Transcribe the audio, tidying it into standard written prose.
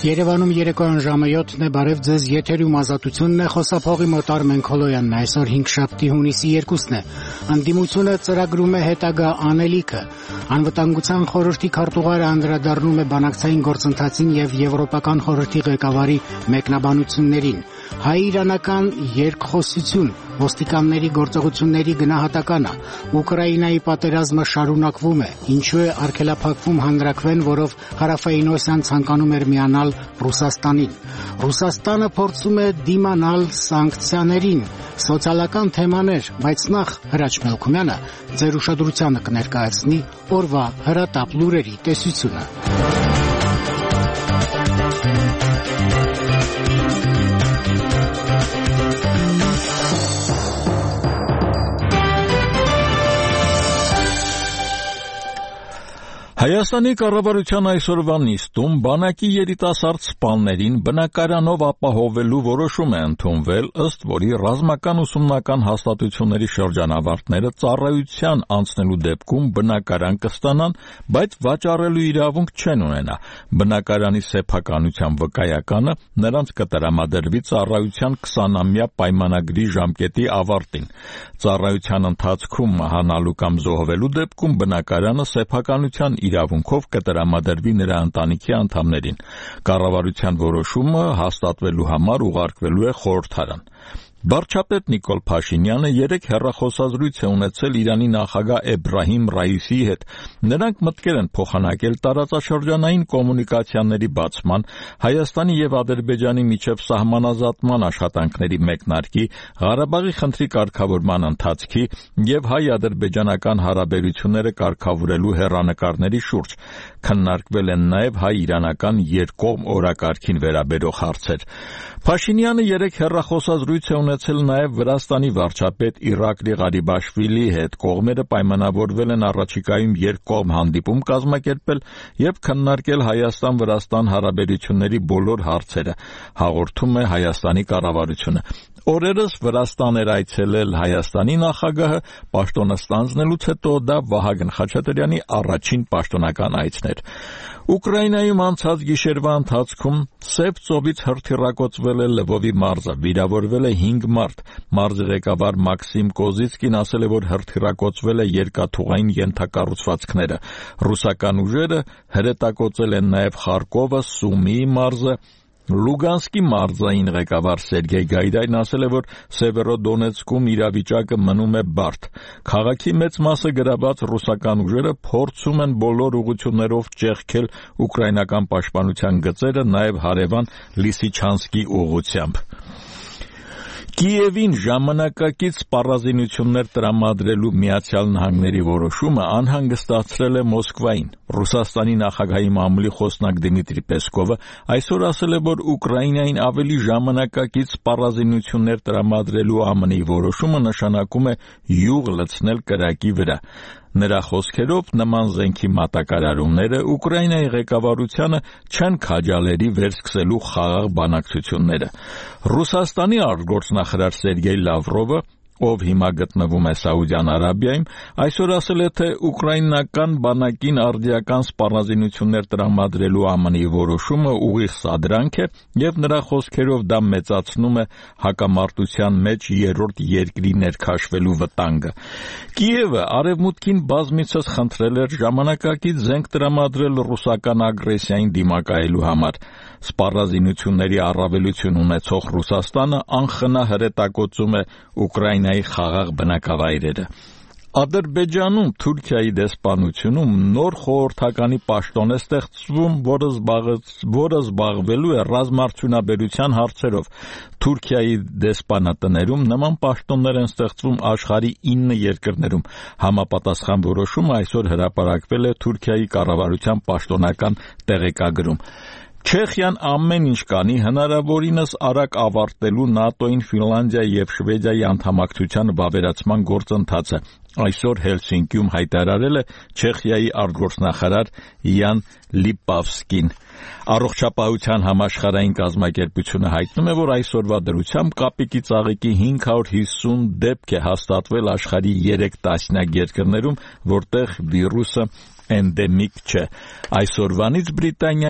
Երևանում երեկոյան ժամը 7-ն է, բարև ձեզ, եթերում Ազատությունն է, խոսափողի մոտ Արմեն Քոլոյանն է, այսօր 5-շաբթի հունիսի 2-ն է, ընդդիմությունը ծրագրում է հետագա անելիքը, Անվտանգության խորհրդի քարտուղարը անդրադառնում է բանակցային գործընթացին և Եվրոպական խորհրդի ղեկավարի մեկնաբանություններին, հայ-իրանական երկխոսություն, ոստիկանների գործողությունների գնահատականը, Ուկրաինայի պատերազմը շարունակվում է, ինչու է արգելափակվում հանրաքվեն, որով Հարավային ցանկանում էր միանալ Ռուսաստանին։ Ռուսաստանը փորձում է դիմանալ սանկցիաներին, սոցիալական թեմաներ, բայց նախ Հրաչ Մելքումյանը ձեր ուշադրությանը կներկայացնի օրվա հրատապ լուրերի տեսությունը։ Հայաստանի կառավարության այսօրվա նիստում բանակի երիտասարդ սպաներին բնակարանով ապահովելու որոշում է ընդունվել, ըստ որի ռազմական ուսումնական հաստատությունների շրջանավարտները ծառայության անցնելու դեպքում բնակարան կստանան, բայց վաճառելու իրավունք չեն ունենա։ Բնակարանի սեփականության վկայականը նրանց կտրամադրվի ծառայության 20-ամյա պայմանագրի ժամկետի ավարտին։ Ծառայության ընթացքում մահանալու կամ զոհվելու դեպքում բնակարանը սեփականության իրավունքով կտրամադրվի նրա ընտանիքի անդամներին։ Կառավարության որոշումը հաստատվելու համար ուղարկվելու է խորհրդարան։ Վարչապետ Նիկոլ Փաշինյանը երեկ հեռախոսազրույց է ունեցել Իրանի նախագահ Էբրահիմ Ռայիսիի հետ։ Նրանք մտկեր են փոխանակել տարածաշրջանային կոմունիկացիաների բացման, Հայաստանի և Ադրբեջանի միջև սահմանազատման աշխատանքների մեկնարկի, Ղարաբաղի խնդրի կարգավորման ընթացքի և հայ-ադրբեջանական հարաբերությունները կարգավորելու հեռանկարների շուրջ։ Քննարկվել են նաև հայ-իրանական երկկողմ օրակարգին վերաբերող հարցեր։ Փաշինյանը երեկ հեռախոսազրույց է ունեցել նաև Վրաստանի վարչապետ Իրակլի Ղարիբաշվիլիի հետ։ Կողմերը պայմանավորվել են առաջիկայում երկկողմ հանդիպում կազմակերպել և քննարկել Հայաստան-Վրաստան հարաբերությունների բոլոր հարցերը, հաղորդում է Հայաստանի կառավարությունը։ Օրերս Վրաստան էր այցելել Հայաստանի նախագահը, պաշտոնը ստանձնելուց հետո դա Վահագն Խաչատրյանի առաջին պաշտոնական այցն էր։ Ուկրաինայում անցած գիշերվա ընթացքում Սև ծովից հրթիռակոծվել է Լվովի մարզը, վիրավորվել է 5 մարդ։ Մարզի ղեկավար Մաքսիմ Կոզիցկին ասել է, որ հրթիռակոծվել է երկաթուղային ենթակառուցվածքները։ Ռուսական ուժերը հրետակոծել են նաև Խարկովը, Սումիի մարզը։ Լուգանսկի մարզային ղեկավար Սերգեյ Գայդայն ասել է, որ Սևերոդոնեցկում իրավիճակը մնում է բարդ։ Քաղաքի մեծ մասը գրաված ռուսական ուժերը փորձում են բոլոր ուղղություններով ճեղքել ուկրաինական պաշտպանության գծերը, նաև հարևան Լիսիչանսկի ուղղությամբ։ Կիևին ժամանակակից սպառազինություններ տրամադրելու Միացյալ Նահանգների որոշումը անհանգստացրել է Մոսկվային։ Ռուսաստանի նախագահի մամուլի խոսնակ Դմիտրի Պեսկովը այսօր ասել է, որ Ուկրաինային ավելի ժամանակակից սպառազինություններ տրամադրելու ԱՄՆ-ի որոշումը նշանակում է յուղ լցնել կրակի վրա։ Նրա խոսքերով նման զենքի մատակարարումները Ուկրաինայի ղեկավարությանը չեն քաջալերի վերսկսելու խաղաղ բանակցությունները։ Ռուսաստանի արտգործնախարար Սերգեյ Լավրովը, ով հիմա գտնվում է Սաուդյան Արաբիայում, այսօր ասել է, թե ուկրաինական բանակին արդիական սպառազինություններ տրամադրելու ԱՄՆ-ի որոշումը ուղիղ սադրանք է և նրա խոսքերով դա մեծացնում է հակամարտության մեջ երրորդ երկրի ներքաշվելու վտանգը։ Կիևը արևմուտքին բազմիցս խնդրել էր ժամանակակից զենք տրամադրել ռուսական ագրեսիային դիմակայելու համար։ Սպառազինությունների առավելություն ունեցող Ռուսաստանը անխնա հրետակոծում է Ուկրաինայի խաղաղ բնակավայրերը։ Ադրբեջանում Թուրքիայի դեսպանությունում նոր խորհրդականի պաշտոն է ստեղծվում, որը զբաղվելու է ռազմարդյունաբերության հարցերով։ Թուրքիայի դեսպանատներում նման պաշտոններ են ստեղծվում աշխարհի 9 երկրներում։ Համապատասխան որոշումը այսօր հրապարակվել է Թուրքիայի կառավարության պաշտոնական տեղեկագրում։ Չեխիան ամեն ինչ կանի հնարավորինս արագ ավարտելու ՆԱՏՕ-ին Ֆինլանդիայի և Շվեդիայի անդամակցության վավերացման գործընթացը։ Այսօր Հելսինկիում հայտարարել է Չեխիայի արտգործնախարար Յան Լիպավսկին։ Առողջապահության համաշխարհային կազմակերպությունը հայտնում է, որ այսօրվա դրությամբ կապիկի ծաղիկի 550 դեպք է հաստատվել աշխարհի 3 տասնյակ երկրներում, որտեղ վիրուսը էնդեմիկ չէ։ Այսօրվանից Բրիտանիա